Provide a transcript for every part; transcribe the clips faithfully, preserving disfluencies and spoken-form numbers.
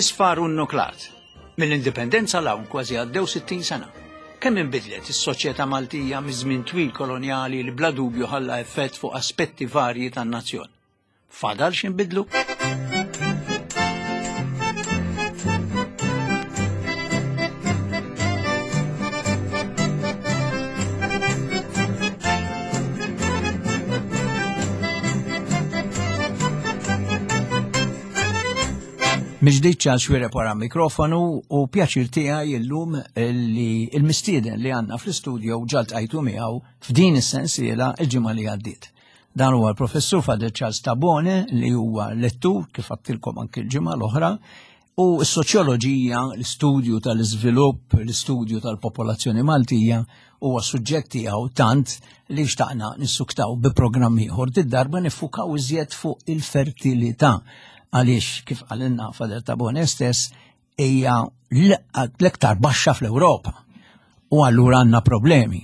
Isfar u nuklat. Mill-indipendenza 'l hawn kważi għaddew sittin sena. Kemm inbidlet is-soċjetà Maltija miż-żmien twil kolonjali li bla dubju ħalla effett fuq aspetti varji tan-nazzjon. Fadal x'inbidlu? Miġdiċ għal xwireb wara mikrofonu u pjaċir tiegħi illum li il-mistieden li għandna fl-istudio ġalt għajtu miegħu f'din is-sensiela il-ġimgħa li għaddiet. Dan huwa l-professur Father Charles Tabone li huwa lettur kif għattilkom anki l-ġimgħa l-oħra u s-soċjoloġija, l-istudju tal-iżvilupp, l-istudju tal-popolazzjoni Maltija huwa suġġett tiegħu tant li xtaqna nissuktaw bi programm ieħor. Did-darba niffukaw iżjed fuq il-fertilità għaliex kif għalinna Father Tabone stess hija l-iktar baxxa fl-Ewropa. U allura għandna problemi.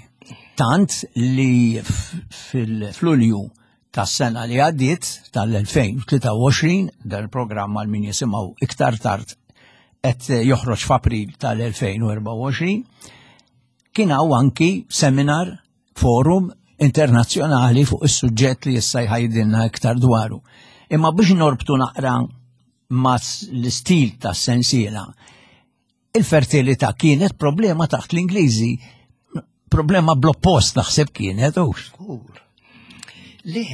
Tant li fil-Lulju tas-sena li għaddiet tal-elfejn u tlieta u għoxrin, dan il-programm għal min jisimgħu iktar tard qed joħroġ f'April tal-elfejn u erbgħa u għoxrin, kien hawn anki seminar forum internazzjonali fuq is-suġġett li issa jħajdilna iktar dwaru. Imma biex norbtu naqra ma' l-istil ta' sensiela, il-fertilità kienet problema taħt l-Ingliżi, problema bl-oppost naħseb kienet, u. Żgur. Le.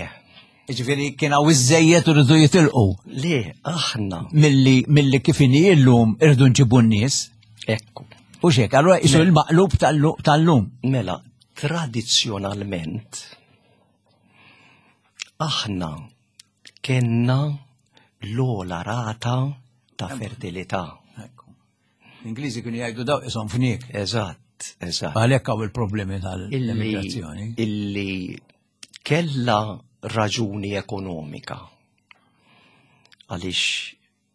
Ġifieri kien hawn iżejjed u rridu jitilqu. Le, aħna. Milli, milli kif inhi llum irridu nġibu n-nies. Ekku. U xek, allura isu Mela. l-maqlub tal-lu-, tal-lum. Mela, tradizzjonalment, aħna kenna l-ogħla rata ta' fertilità. Ekku. L-Ingliżi kienu jgħidu daw isom fniek. Eżatt, eżatt. Għalhekk hawn il-problemi tal-immigrazzjoni. Illi, illi kella raġuni ekonomika. Għaliex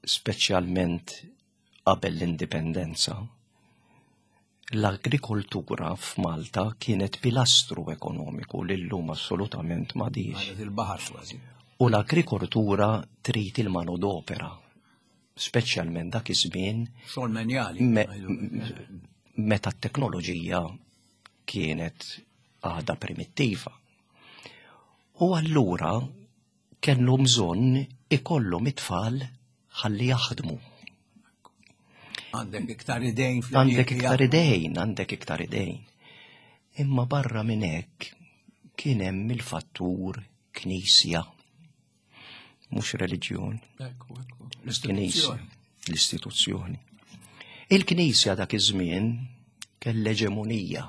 speċjalment qabel l-indipendenza, l-agrikoltura f'Malta kienet pilastru ekonomiku li llum assolutament m'għadix. Għadet il-baħar kważi. U l-agrikoltura trid il-manodopera, speċjalment dak iż-żmien Xogħol menjali. me-, meta t-teknoloġija kienet għadha primittiva. U allura kellu bżonn ikollhom it-tfal ħalli jaħdmu. Għandek iktar idejn fl- Għandek iktar idejn, għandek iktar idejn. Imma barra minn hekk kien hemm il-fattur knisja. Mhux reliġjon. Ekku, ekku. Knisja. L-istituzzjoni. L-istituzzjoni. Il-knisja dak iż-żmien kellha eġemonija.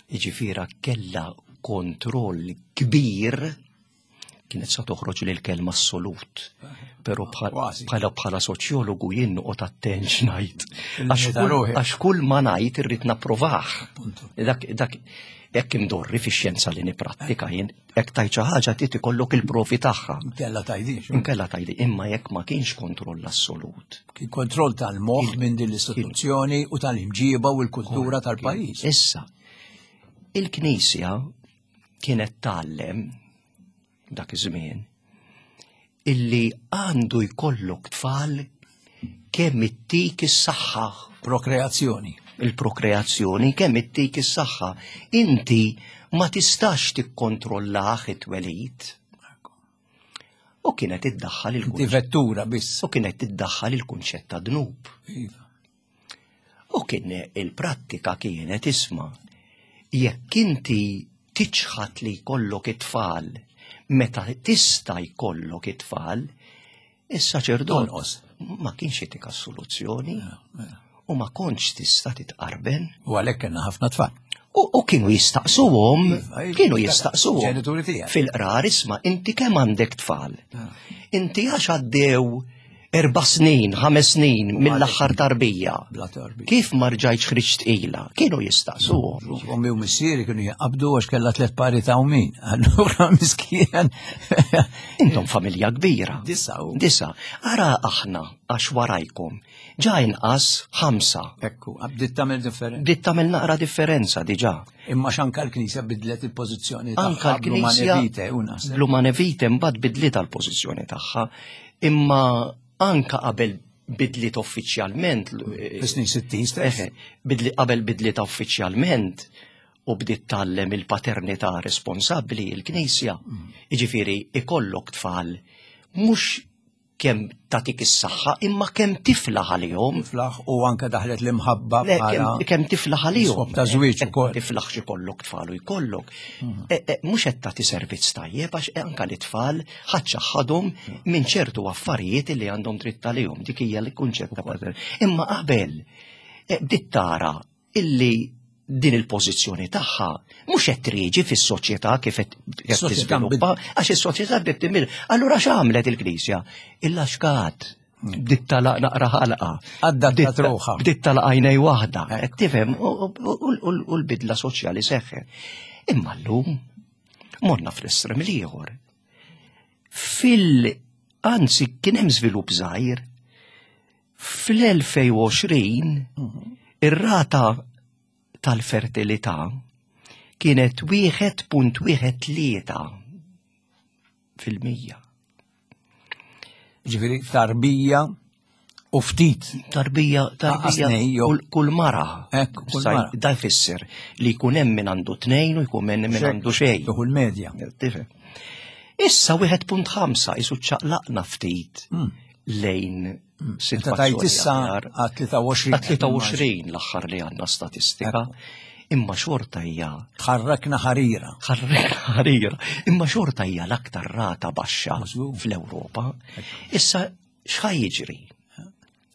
Jiġifieri kellha kontroll kbir, kienet sa toħroġ lil kelma assolut. Però bħal- Kważi. bħala, bħala soċjologu jien noqgħod attent x'ngħid. Il-meta Għax kull, ruħi. għax kull ma ngħid irrid napprovah. Punto. Dak, dak hekk imdorri fix-xjenza li nipprattika jien, hekk tajt xi ħaġa trid ikollok il-provi tagħha. Inkella tgħidix. Inkella tgħidi, imma jekk ma kienx kontroll assolut. Kien kontroll tal-moħħ minn din l-istituzzjoni u tal-imġiba u l-kultura tal-pajjiż. Issa, il-Knisja kienet tgħallem dak iż-żmien illi għandu jkollok tfal kemm ittik is-saħħa. Prokreazzjoni. Il-prokreazzjoni kemm ittik is-saħħa. Inti ma tistax tikkontrollah it-twelid. U kienet iddaħħal Inti il-kunċett. vettura biss. U kienet iddaħħal il-kunċett ta' dnub. Iva. U kien il-prattika kienet isma' jekk inti tiċħat li jkollok it-tfal meta tista' jkollok it-tfal, is-saċerdot Tonqos. ma kienx jitik assoluzzjoni Mela, mela. u ma kontx tista' titqarben. U għalhekk kellna ħafna tfal. U, u kienu jistaqsuhom, Iva, iva, kienu iva, jistaqsuhom. ġenituri tiegħek. Fil-qrar isma' inti kemm għandek tfal? Ah. Inti għax għaddew erba' snin, ħames snin U mill-aħħar għalhekk tarbija. Bla tarbija. Kif ma rġajtx ħriġt tqila? Kienu jistaqsuhom. Ommi u missieri kienu jaqabdu għax kellha tliet pari ta' umin. Allura miskien. Intom familja kbira. Disa u. Disa. Ara aħna għax warajkom. Ġa inqas ħamsa. Ekku, bdiet tagħmel differenza. Bdiet tagħmel naqra differenza diġà. Imma x'anka l-Knisja bidlet il-pożizzjoni tagħha. Anka l-Knisja Bl-Humane Vitae, u naħseb. Bl-Humane Vitae mbagħad bidlet l-pożizzjoni tagħha. Imma Anka qabel bidliet uffiċjalment. Fis-snin sittin stess. Eħe, bidli, qabel bidliet uffiċjalment u bdiet tgħallem il-paternità responsabbli il-Knisja. Jiġifieri ikollok tfal mhux kemm tagħtik is-saħħa imma kemm tiflaħ għalihom. Tiflaħ u anke daħlet l-imħabba Le, bħala kemm- kemm tiflaħ għalihom. Skop ta' żwieġ Eh, ukoll. Tiflaħx ikollok tfal u jkollok. Eh, eh, Mhux qed tagħti servizz tajjeb għax anke l-itfal ħadd minn ċertu affarijiet li għandhom dritt għalihom. Dik hija l-kunċett ta' pater. Imma qabel eh, bdiet tara illi din il-pożizzjoni tagħha mhux qed triġi fis-soċjetà kif qed qed Is-soċjetà tiżviluppa, għax is-soċjetà bdiet tinbidel. Allura x'għamlet il-Knisja? Illaxkat. Bdiet tagħlaq naqra ħalqa. Adattat Bdiet- ruħha. Bdiet tagħlaq għajnej waħda. Qed tifhem u- u u- u l-bidla soċjali seħħet. Imma llum morna fl-estrem l-ieħor. Fil anzi kien hemm żvilupp żgħir. Fl-elfejn u għoxrin ir-rata tal-fertilità kienet wieħed punt wieħed tlieta fil-mija. Ġifieri tarbija u ftit. Tarbija, tarbija, Aqas jew- kull, kull mara. Ekku, kull Sa- mara. Da jfisser li jkun hemm min għandu tnejn u jkun hemm min għandu xejn. Tuħu l-medja. Tifhem. Issa wieħed punt ħamsa isu ċaqlaqna ftit lejn Meta tajt sitwazzjoni issa aħjar. għat tlieta u għoxrin. Għat tlieta u għoxrin l-aħħar li għandna statistika. Imma xorta hija Tħarrakna ħarira. ħarrek ħarira. Imma xorta hija l-aktar rata baxxa Mażgur. fl-Ewropa. Issa x'ħa jiġri?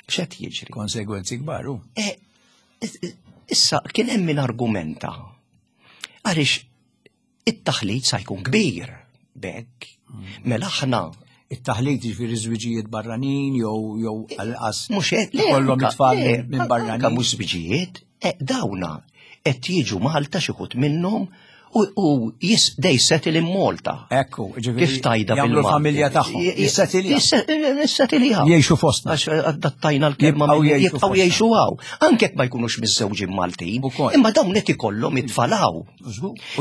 X'qed jiġri? Konsegwenzi kbar, u. E, issa kien hemm min argumenta għaliex it-taħlit sa jkun kbir bekk. Mela aħna It-taħlit ġifieri żwiġijiet barranin jew jew għal-qas mhux hekk le, kollhom anka- it-tfal le, minn anka barranin. mhux żwiġijiet, e, dawna qed jiġu Malta xi wħud minnhom u, u jis, they settle in Malta. Ekku, ġifieri Kif tajda jagħmlu bil-Malti? l-familja tagħhom. Jissettiljaw. Jissettiljaw. Jgħixu fostna. Għax adattajna l-kelma Jibqgħu minn- jgħixu jibqgħu fostna. jgħixu hawn. Anke jekk ma jkunux miżżewġin Maltin. Ukoll. Imma dawn qed ikollhom it-tfal hawn.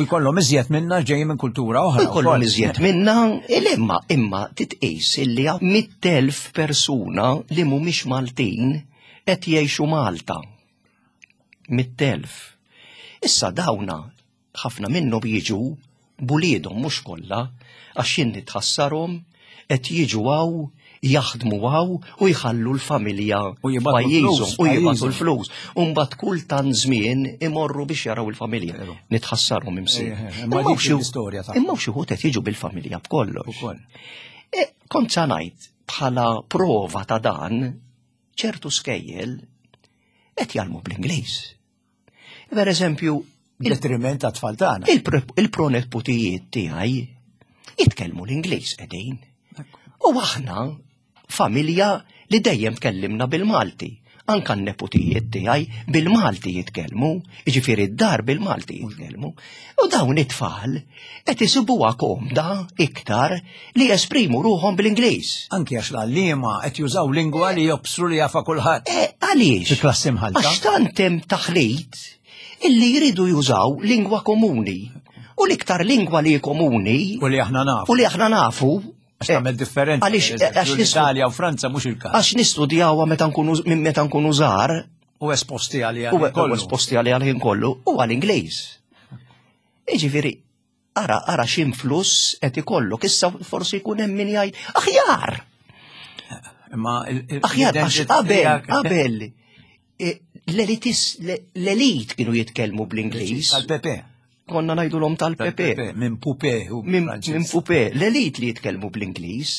U jkollhom iżjed minna ġejjin minn kultura oħra. U jkollhom ukoll. iżjed minna, imma imma titqis illi hawn mitt elf persuna li mhumiex Maltin qed jgħixu Malta. Mitt elf. Issa dawna ħafna minnhom jiġu b'uliedhom mhux kollha għax jien nitħassarhom qed jiġu hawn jaħdmu hawn u jħallu l-familja U jibagħtu f'pajjiżhom l-flus u jibagħtu pajjiżhom. l-flus. U mbagħad kull tant żmien imorru biex jaraw il-familja. Nitħassarhom imsien. Eh, eh, imma Imma dik xi- l-istorja tagħhom. Imma xi wħud qed jiġu bil-familja b'kollox. Ukoll. E, kont sa ngħid bħala prova ta' dan ċertu skejjel qed jgħallmu bl-Ingliż. Per eżempju, il- Detriment ta' tfal tagħna. il-pro- il-proneputijiet tiegħi jitkellmu l-Ingliż qegħdin. U aħna familja li dejjem tkellimna bil-Malti. Anka n-neputijiet tiegħi bil-Malti jitkellmu, jiġifieri d-dar bil-Malti jitkellmu. U dawn it-tfal qed isibuha komda iktar li jesprimu ruħhom bil-Ingliż. Anki għax l-għalliema qed jużaw lingwa li jobsru li jafa kulħadd. E, għaliex? Fi klassi mħalta. Għax tant hemm taħlit illi jridu jużaw lingwa komuni. U l-iktar lingwa li komuni U li aħna nafu. u li aħna nafu Għax tagħmel differenza. Għaliex per eżempju, għax nistu- l-Italja u Franza mhux il-każ. għax nistudjawha meta nkunu minn meta nkunu żgħar U esposti għalija. u u esposti għalih għal-ħin kollu u għal-Ingliż. Jiġifieri ara ara x'influss qed ikollok issa forsi jkun hemm min jgħid aħjar. Imma il- il- Aħjar għax l-identità qabel tiegħek- qabel e, l-elitis l-elit kienu jitkellmu bl-Ingliż. Tal-Pepe. Konna ngħidulhom tal-Pepe. Tal-Pepe. Minn Pupe u Minn Franċiż. min Pupe, l-elit li jitkellmu bl-Ingliż.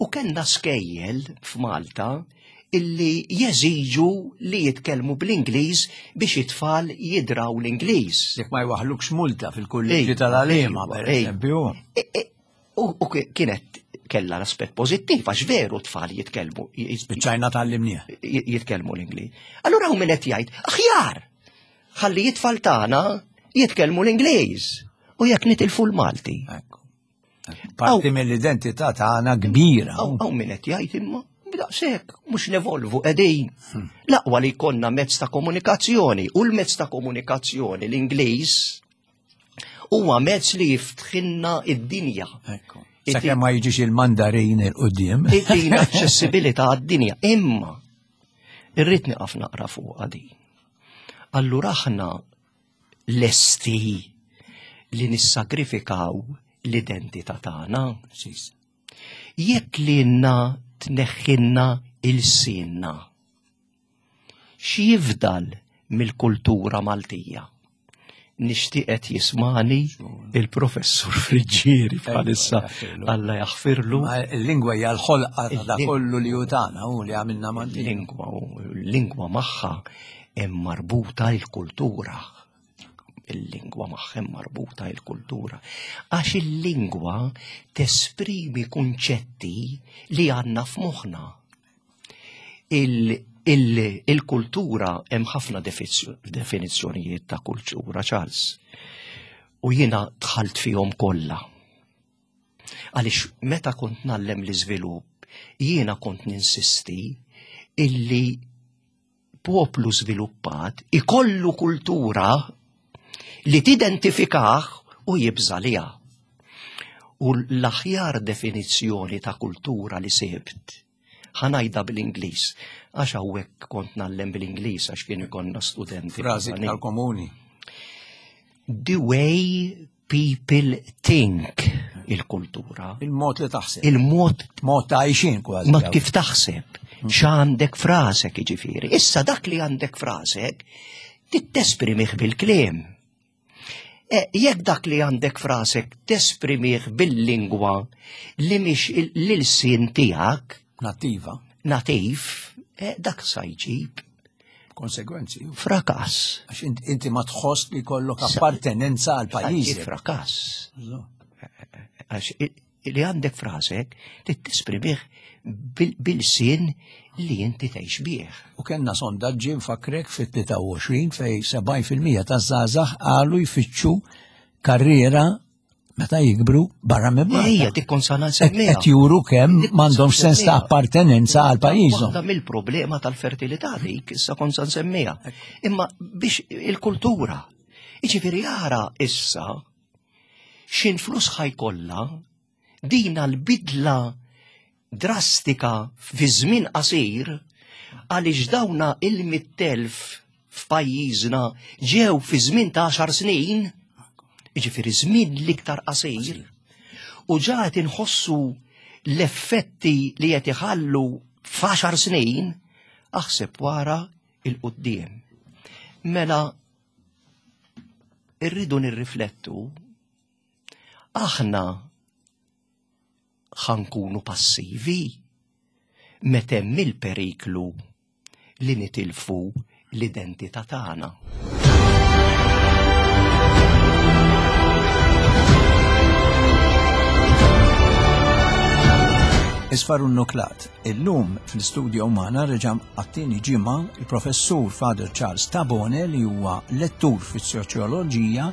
U kellna skejjel f'Malta illi jeżiġu li jitkellmu bl-Ingliż biex it-tfal jidraw l-Ingliż. Jekk ma jwaħlukx multa fil-kulleġġi Ej, tal-għalima, ejwa, per ej. eżempju. E, e, U u ki- kienet kella l-aspett pożittiv għax veru tfal jitkellmu j- Spiċċajna tal-limnieh. j- jitkellmu l-Ingliż. Allura hawn min qed jgħid, aħjar ħalli it-tfal tagħna jitkellmu l-Ingliż u jekk nitilfu l-Malti. Ekku. Parti mill-identità tagħna kbira. Hawn hawn min qed jgħid imma daqshekk mhux nevolvu qegħdin. L-aqwa li jkollna mezz ta' komunikazzjoni u l-mezz ta' komunikazzjoni l-Ingliż huwa mezz li jiftħilna id-dinja. Ekku. Sakemm ma jiġix il-mandarin il-qudiem. Itina aċċessibilità għad-dinja. Imma irrid nieqaf naqra fuq din. Allura aħna lesti li nissagrifikaw l-identità tagħna. Jekk lilna tneħħinna il-sinna, x'jifdal mill-kultura Maltija? Nixtieq qed jismani il-professur Friġġieri bħalissa, Alla jaħfirlu. Il-lingwa hija l-ħolqa ta' kollu li hu tagħna u li għamilna Maltin. Lingwa u l-lingwa magħha hemm marbuta l-kultura. Il-lingwa magħha hemm marbuta l-kultura. Għax il-lingwa tesprimi kunċetti li għandna f'moħħna. Il-kultura hemm ħafna definizzjonijiet ta' kultura, Charles. U jiena dħalt fihom kollha. Għaliex meta kont nallem l-iżvilupp, jiena kont ninsisti illi poplu żviluppat ikollu kultura li tidentifikah u jibża' liha. U l-aħjar definizzjoni ta' kultura li sibt, ħa ngħidha bil-Ingliż, għax hawnhekk kont nallem bil-Ingliż għax kien ikollna studenti. Frażi iktar komuni. The way people think, il-kultura. Il-mod li taħseb. Il-mod. Mod ta' għajxin kważi. Mod kif taħseb. X'għandek frasek jiġifieri. Issa dak li għandek frasek, titesprimih bil-kliem. E, jekk dak li għandek frasek tesprimih bil-lingwa li mhix l-ilsien tiegħek Nativa. Nativ, e, dak sa jġib konsegwenzi. Frakas. Għax inti ma tħoss li kollok appartenenza għal pajjiż. Frakas. Għax li għandek frasek titesprimih bil-sin li inti tgħix bih. U kellna sondaġġi nfakrek fit-tlieta u għoxrin fej sebgħin fil-mija taż-żgħażagħ qalu jfittxu karriera meta jikbru barra minn Malta. Ejja, dik kont sa nsemmiha. Qed juru kemm Dik m'għandhomx sens ta' nsemmiha. appartenenza għal pajjiżhom. Waħda mill-problema tal-fertilità dik issa kont sa nsemmiha. Imma biex il-kultura. Jiġifieri ara issa x'influss ħajkollha dina l-bidla drastika fi żmien qasir għaliex dawna il-mittelf f'pajjiżna ġew fi żmien ta' għaxar snin, jiġifieri żmien l-iktar qasir, u ġa qed inħossu l-effetti li qed iħallu f'għaxar snin, aħseb wara il-quddiem. Mela irridu nirriflettu, aħna ħankunu passivi meta hemm il-periklu li nitilfu l-identità tagħna. Isfar u Nuklat. Illum fl-istudio magħna reġa' għat-tieni ġimgħa il-professur Father Charles Tabone li huwa lettur fis-soċjoloġija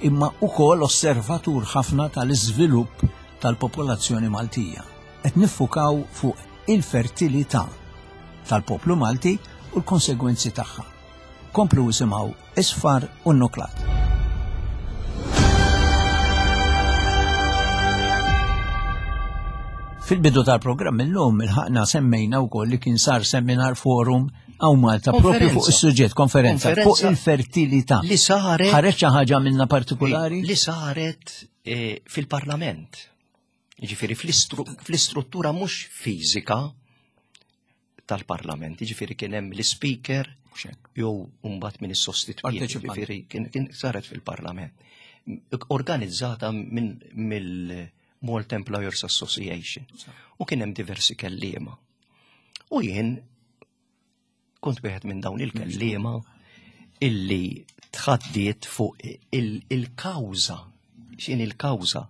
imma ukoll osservatur ħafna tal-iżvilupp tal-popolazzjoni Maltija. Qed niffukaw fuq il-fertilità tal-poplu Malti u l-konsegwenzi tagħha. Komplu isimgħu Isfar u Nuklat. Fil-bidu tal-programm illum il-ħaqna semmejna wkoll li kien sar seminar forum hawn Malta propju fuq Konferenza. is-suġġett, konferenza fuq Konferenza il-fertilità. Li saret Ħareġ xi ħaġa minna partikolari? Li saret, eh, fil-Parlament. Jiġifieri fl-istru-, fl-istruttura mhux fiżika tal-Parlament, jiġifieri kien hemm l-speaker Mhux hekk. jew mbagħad min issostitwiet, Parteċipanti. jiġifieri kien, kien saret fil-Parlament. Organizzata minn mill-Malta Employers Association. U kien hemm diversi kelliema. U jien kont wieħed minn dawn il-kelliema illi tħaddiet fuq il-, il-kawża. X'in il-kawża?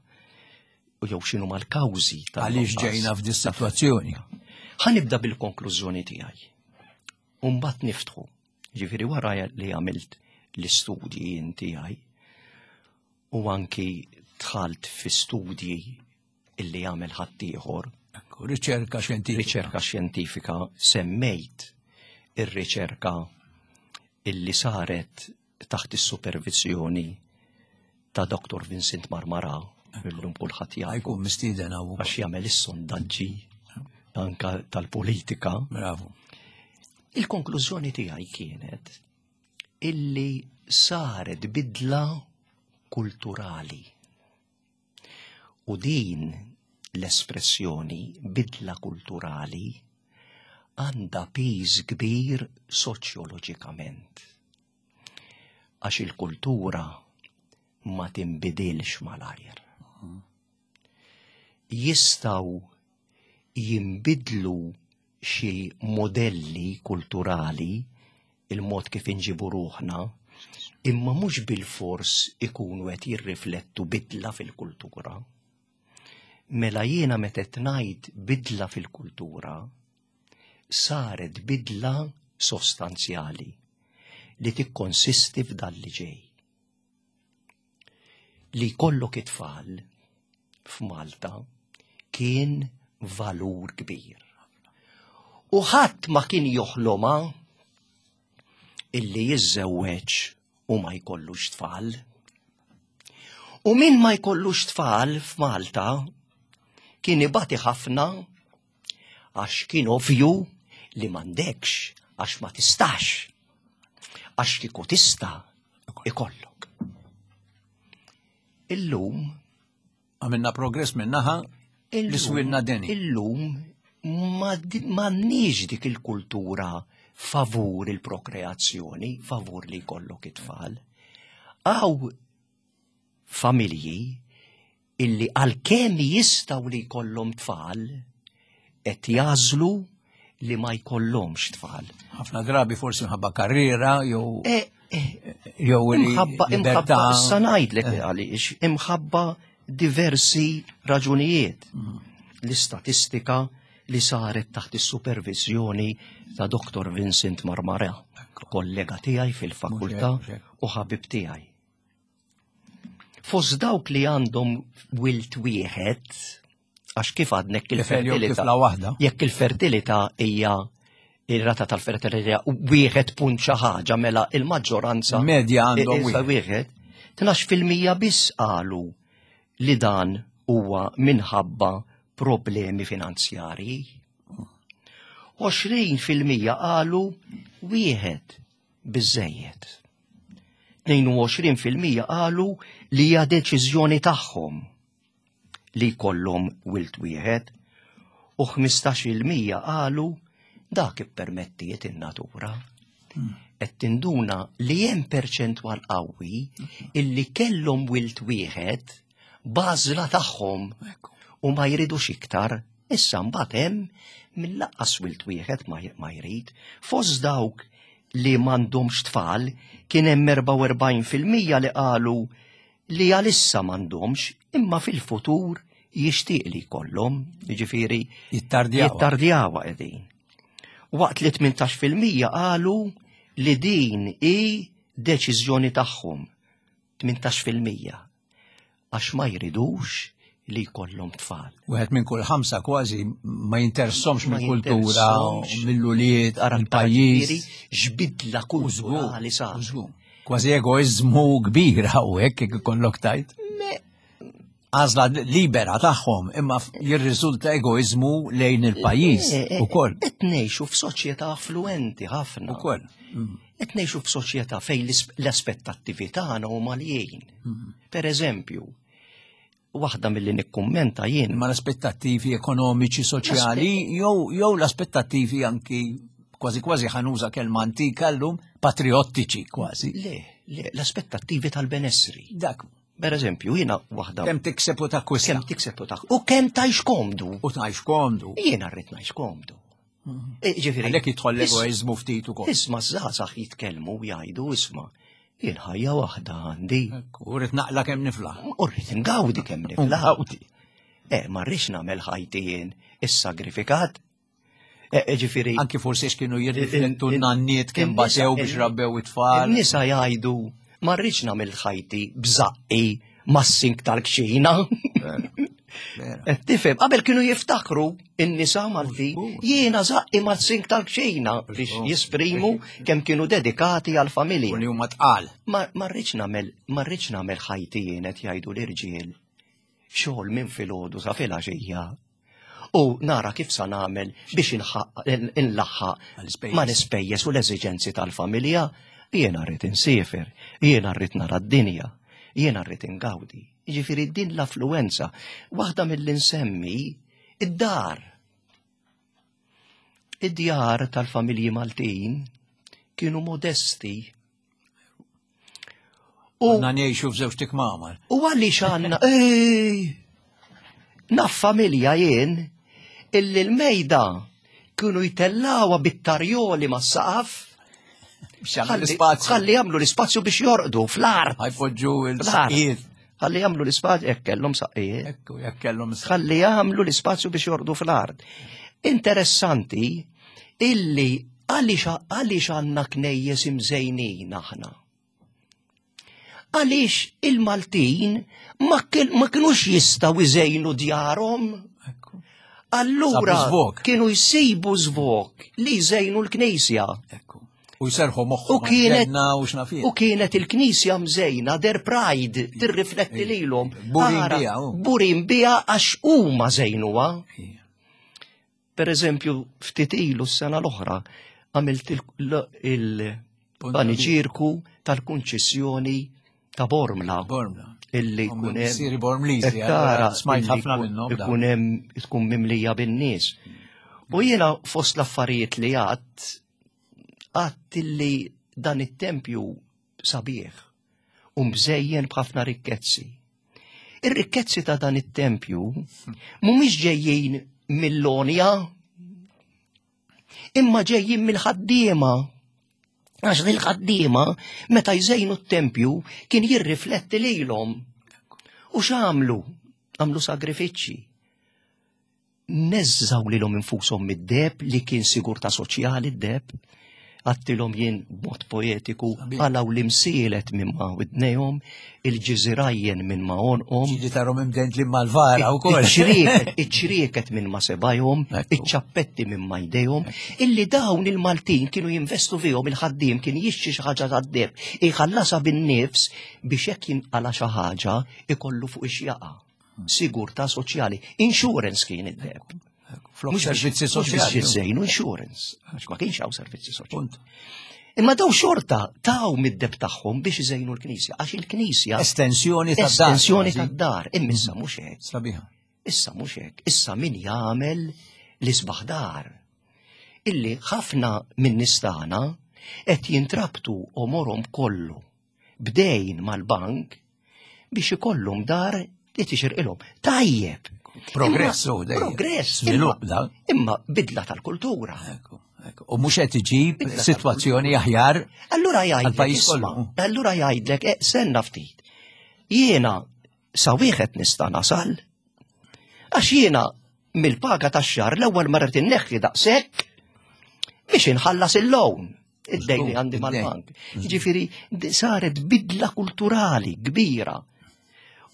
U jew x'inhu mal-kawżi tal- Għaliex ġejna f'dis sitwazzjoni? Ħa nibda bil-konklużjoni tiegħi. U mbagħad niftħu. Ġifieri wara li għamilt l-istudji jien tiegħi u anki dħalt fi studji illi għamel ħaddieħor. Ekku, riċerka xjentifika. Riċerka xjentifika, semmejt ir-riċerka illi saret taħt is-supervizjoni ta' Doktor Vincent Marmara. Illum kulħadd jafu. Jkun mistieden hawn. Għax jagħmel is-sondaġġi anka tal-politika. Bravo. Il-konklużjoni tiegħi kienet illi saret bidla kulturali. U din l-espressjoni bidla kulturali għandha piż kbir soċjoloġikament. Għax il-kultura ma tinbidilx malajr. Jistgħu jinbidlu xi modelli kulturali, il-mod kif inġibu ruħna, imma mhux bil-fors ikunu qed jirriflettu bidla fil-kultura. Mela jiena meta qed ngħid bidla fil-kultura, saret bidla sostanzjali li tikkonsisti f'dan li ġej. Li jkollok it-tfal f'Malta kien valur kbir. U ħadd ma kien joħloma illi jiżżewweġ u ma jkollux tfal. U min ma jkollux tfal f'Malta kien ibati ħafna għax kien ovvju li m'għandekx għax ma tistax. Għax kieku tista' ikollok. Illum Għamilna progress minnaħa li swilna deni. Illum m'għandniex dik il-kultura favur il-prokreazzjoni, favur li jkollok it-tfal. Hawn familji illi għalkemm jistgħu li jkollhom tfal, qed jagħżlu li ma jkollhomx tfal. Ħafna drabi forsi mħabba karriera jew jew imħabba imħabba issa ngħidlek għaliex imħabba diversi raġunijiet. L-istatistika li saret taħt is-supervizjoni ta' Doktor Vincent Marmara, kollega tiegħi fil-fakultà u ħabib tiegħi. Fost dawk li għandhom wilt wieħed, għax kif għadnek il-fertilità, jekk il-fertilità hija ir-rata tal-fertilità wieħed punt xi ħaġa, mela il-maġġoranza medja għandhom wieħed. Tnax fil-mija biss qalu li dan huwa minħabba problemi finanzjarji. għoxrin fil-mija qalu wieħed biżejjed. tnejn u għoxrin fil-mija qalu li hija deċiżjoni tagħhom li jkollhom wilt wieħed u ħmistax il-mija qalu dak ippermettiet in-natura. Qed tinduna li hemm perċentwal qawwi illi kellhom wilt wieħed bażla tagħhom u ma jridux iktar. Issa mbagħad hemm mill-laqqas wilt wieħed ma jrid. Fost dawk li m'għandhomx tfal kien hemm erbgħa u erbgħin fil-mija li qalu li għalissa m'għandhomx imma fil-futur jixtieq li jkollhom, jiġifieri jittardjawa. Jittardjawa qegħdin. Waqt li tmintax fil-mija qalu li din hi deċiżjoni tagħhom, tmintax fil-mija, għax ma jridux li jkollhom tfal. Wieħed minn kull ħamsa kważi ma jinteressomx mill-kultura, mill-ulied, mill-pajjiż. X'bidla kulturali sar. Kważi egoizmu kbir hawnhekk jekk ikollok tajt. Għażla libera tagħhom imma jirriżulta egoizmu lejn il-pajjiż ukoll. Qed ngħixu f'soċjetà affluenti ħafna. Ukoll. Qed ngħixu f'soċjetà fejn l-aspettattivi tagħna huma għaljin. Per eżempju, waħda milli nikkummenta jien. Ma l-aspettattivi ekonomiċi, soċjali, jew jew l-aspettattivi anki kważi kważi ħanuża kelma antika llum, patriottiċi kważi. Le, le, l-aspettattivi tal-benessri. Dak. Per eżempju, jiena waħda. Kemm tikseb u takkwista. Kemm tikseb u takkwista. U kemm tgħix komdu. U tgħix komdu. Jiena rrid ngħix komdu. Ġifieri. Għalhekk jidħol l-egoiżmu ftit ukoll. Isma' żgħażagħ jitkellmu u jgħidu isma' jien ħajja waħda għandi. U rrid naqla kemm niflaħ. U rrid ngawdi kemm niflaħ. Eh, ma rridx nagħmel ħajti jien is-sagrifikat. Ġifieri. Anki forsi x'kienu jirriflettu n-nanniet kemm batew biex rabbew it-tfal. In-nisa jgħidu ma rridx nagħmel ħajti bżaqqi mas-sink tal-kxina. Tifhem, qabel kienu jiftakru in-nisa Malti jiena żaqqi mas-sink tal-kxina biex jisprimu kemm kienu dedikati għall-familja. U li huma tqal. Ma rridx nagħmel, ma rridx nagħmel ħajti jien qed jgħidu l-irġiel. Xogħol minn filgħodu sa filgħaxija. U nara kif sa nagħmel biex inlaħħaq mal-ispejjeż u l-eżiġenzi tal-familja, jiena rrid insiefer, jiena rrid nara d-dinja, jiena rrid ingawdi. Jiġifieri din l-affluenza, waħda mill-insemmi id-dar. Id-djar tal-familji Maltin kienu modesti. U għandna ngħixu f'żewġ tikmamar. U għaliex għandna, ej, naf familja jien illi l-mejda kienu jtellawha bit-tarjoli mas-saqaf. Ħalli jagħmlu l-ispazju biex jorqdu fl-art. Ħa jpoġġu il-saqqijiet. Ħalli jagħmlu l-ispazju, jekk kellhom saqqijiet. Ekku, jekk kellhom Ħalli jagħmlu l-ispazju biex jorqdu fl-art. Interessanti illi għaliex għaliex għandna knejjes imżejnin aħna. Għaliex il-Maltin ma kinux jistgħu iżejnu djarhom. Allura kienu jsibu żvok li jżejnu l-knisja. U jserħu moħħu U kienet u kienet il-knisja mżejna their pride tirrifletti lilhom. Burin biha. Burin biha għax huma żejnuha. Per eżempju, ftit ilu s-sena l-oħra għamilt il-paniġierku tal-konċessjoni ta' Bormla. Bormla. Illi jkun hemm. Siri Bormliżi, smajt ħafna minnhom. Ikun hemm tkun mimlija bin-nies. U jiena fost l-affarijiet li għadt għadt illi dan it-tempju sabiħ u mżejjen b'ħafna rikkezzi. Ir-rikkezzi ta' dan it-tempju mhumiex ġejjin mill-lonja, imma ġejjin mill-ħaddiema. Għax il-ħaddiema meta jżejnu t-tempju kien jirrifletti lilhom. U x'għamlu? Għamlu sagrifiċċji. Neżżaw lilhom infushom mid-deheb li kien sigurtà soċjali d-deheb. Għedtilhom jien b'mod poetiku qalgħu l-imsielet minn ma' widnejhom, il-ġiżirajjen minn ma' għonqhom. Ġieli tarahom imdendlin mal-vara wkoll. Iċ-ċrieket minn ma' sebajhom, iċ-ċappetti minn ma' jdejhom, illi dawn il-Maltin kienu jinvestu fihom, il-ħaddiem kien jixtri xi ħaġa tad-deheb, iħallasha bin-nifs biex jekk jinqala xi ħaġa ikollu fuq ix-jaqa. Sigurtà soċjali, insurance kien id-deheb. Flok servizzi soċjali. Mhux insurance, għax ma kienx hawn servizzi soċjali. Imma daw xorta taw mid-deheb tagħhom biex iżejnu l-knisja, għax il-knisja Estensjoni tad-dar. Estensjoni tad-dar, imma issa mhux hekk. Sabiħa. Issa mhux hekk, issa min jagħmel l-isbaħ dar. Illi ħafna minn nies tagħna qed jintrabtu għomorhom kollu bdejn mal-bank biex ikollhom dar li tixirqilhom. Tajjeb. Progress, u dejjem. Progress. Żvilupp da. Imma bidla tal-kultura. Ekku, ekku. U mhux qed iġib sitwazzjoni aħjar. Allura jgħidlek, għall-pajjiż isma', kollu. allura jgħidlek, eh, senna ftit. Jiena sa wieħed nista' nasal. Għax jiena mill-paga tax-xahar l-ewwel ma rrid inneħħi daqshekk biex inħallas il-loan. Id-dejn li għandi mal-bank. Ġifieri saret bidla kulturali kbira.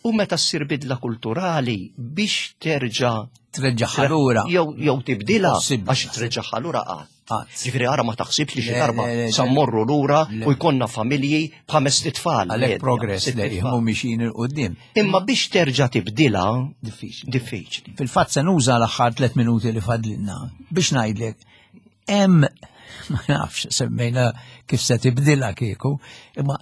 U meta ssir bidla kulturali biex terġa' Treġġaħha lura. Jew jew tibdilha Possibbli. għax treġġaħha lura qatt. Qatt. Ġifieri ara ma taħsibx li xi Le, darba le, le, sa mmorru lura le. u jkollna familji b'ħames tfal. Għalhekk medja, progress sitt li tfal. mhu mixin 'il quddiem. Imma biex terġa' tibdilha Diffiċli. diffiċli. Fil-fatt se nuża l-aħħar tliet minuti li fadlilna biex ngħidlek hemm ma nafx semmejna kif se tibdilha kieku, imma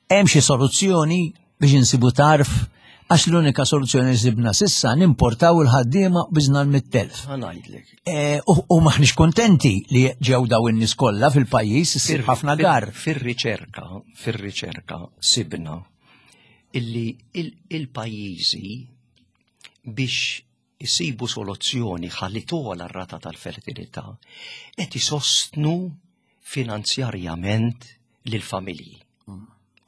hemm xi soluzzjoni biex insibu tarf għax l-unika soluzzjoni li sibna s'issa nimportaw il-ħaddiema biżna l-mitt elf. Ħa ngħidlek. E, U u maħniex kontenti li ġew daw in-nies kollha fil-pajjiż issir ħafna gar. Fir-riċerka, fir-riċerka sibna illi il- il-pajjiżi biex isibu soluzzjoni ħalli togħla r-rata tal-fertilità qed isostnu finanzjarjament lill-familji.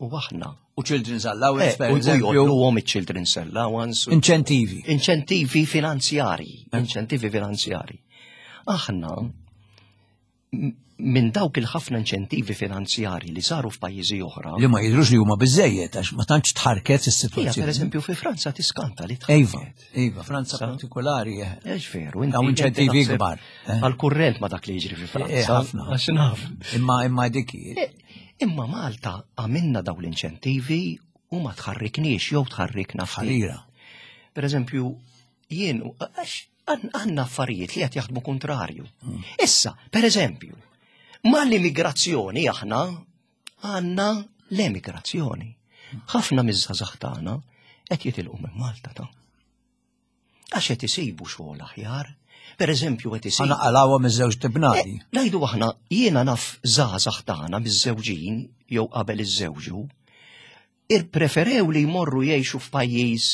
U aħna U children's allowance, Eh, per u eżempju, jgħolluhom iċ-children's allowance. u- inċentivi. Inċentivi finanzjari, inċentivi finanzjari. Aħna m- minn dawk il-ħafna inċentivi finanzjari li saru f'pajjiżi oħra. Li ma jidrux li huma biżejjed għax ma tantx tħarket Ija, is-sitwazzjoni. per eżempju, fi Franza tiskanta li Iva, tħarket. iva, Franza partikolari. eh. Ex veru, Dawn inċentivi inti taħseb kbar, eh. Għal-kurrent ma dak li jiġri fi Eh, Franza. ħafna. Għax naf. Imma imma dik hi. Eh, Imma Malta għamilna daw l-inċentivi u ma tħarrikniex jew tħarrikna ftit. Ħarira. Per eżempju, jien, għax għandna affarijiet li qed jaħdmu kontrarju. Issa, per eżempju, mal-immigrazzjoni aħna għandna l-emigrazzjoni. Ħafna miż-żgħażagħ tagħna qed jitilqu minn Malta ta'. Għax qed isibu xogħol aħjar. Per eżempju, qed isibu. Għana qalawhom iż-żewġ tibnadi. Eh, ngħidu aħna, jiena naf żgħażagħ tagħna miż-żewġin jew qabel iż-żewġu, irpreferew li jmorru jgħixu f'pajjiż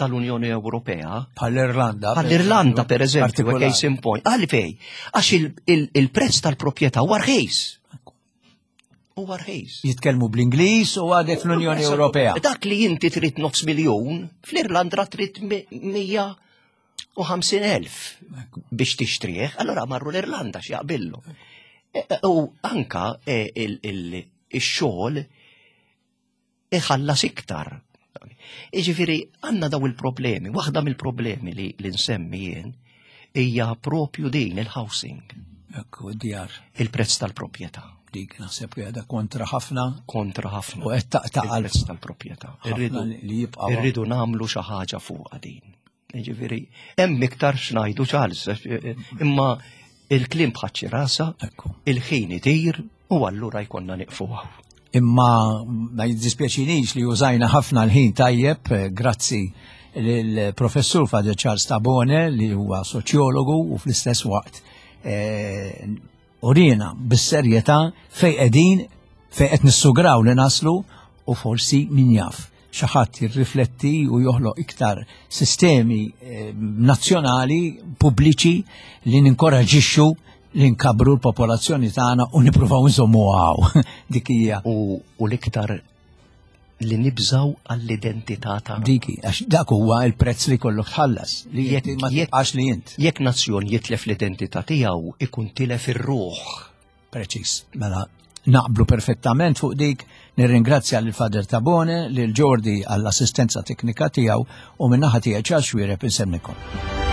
tal-Unjoni Ewropea. Bħall-Irlanda. Bħall-Irlanda, per eżempju, case in point. Għalfej, għax il-prezz tal-proprjetà huwa rħis. Huwa rħis. Jitkellmu bl-Ingliż u għadek fl-Unjoni Ewropea. Dak li inti trid nofs miljun, fl-Irlanda trid mija u ħamsin elf biex tixtrih, allora marru l-Irlanda x'jaqbillu. E, e, u anka e, il-xogħol iħallas iktar. Iġifieri għandna daw il-problemi, waħda mill-problemi li li nsemmi jien hija propju din il-housing. Ekku, djar. Il-prezz tal-proprjetà. Dik naħseb li għadha kontra ħafna. Kontra ħafna. U qed taqta' il-prezz tal-proprjetà. Irridu li jibqa' irridu nagħmlu xi ħaġa fuqha din. Ġifieri, hemm iktar x'ngħidu, Charles, imma il-kliem bħaċ rasa, il-ħin itir u allura jkollna nieqfu. Imma ma jiddispjaċinix li użajna ħafna l-ħin tajjeb, eh, grazzi lill-professur Father Charles Tabone li huwa soċjologu u fl-istess waqt eh, urina bis-serjetà fej qegħdin, fej qed nissugraw li naslu u forsi min jaf xi ħadd jirrifletti u joħloq iktar sistemi eh, nazzjonali pubbliċi li ninkoraġixxu li nkabru l-popolazzjoni tagħna u nippruvaw nżommu hawn. Dik hija. U, u l-iktar li nibżaw għall-identità tagħna. Diki, għax dak huwa il-prezz li kollok tħallas, li Jekk- ma jekk- tibqax li int. Jekk nazzjon jitlef l-identità tiegħu ikun tilef ir-ruħ. Preċis. Mela, naqblu perfettament fuq dik, nirringrazzja lil Father Tabone, lil Jordi għall-assistenza teknika tiegħu u min-naħa tiegħi Charles Xuereb insemmikom.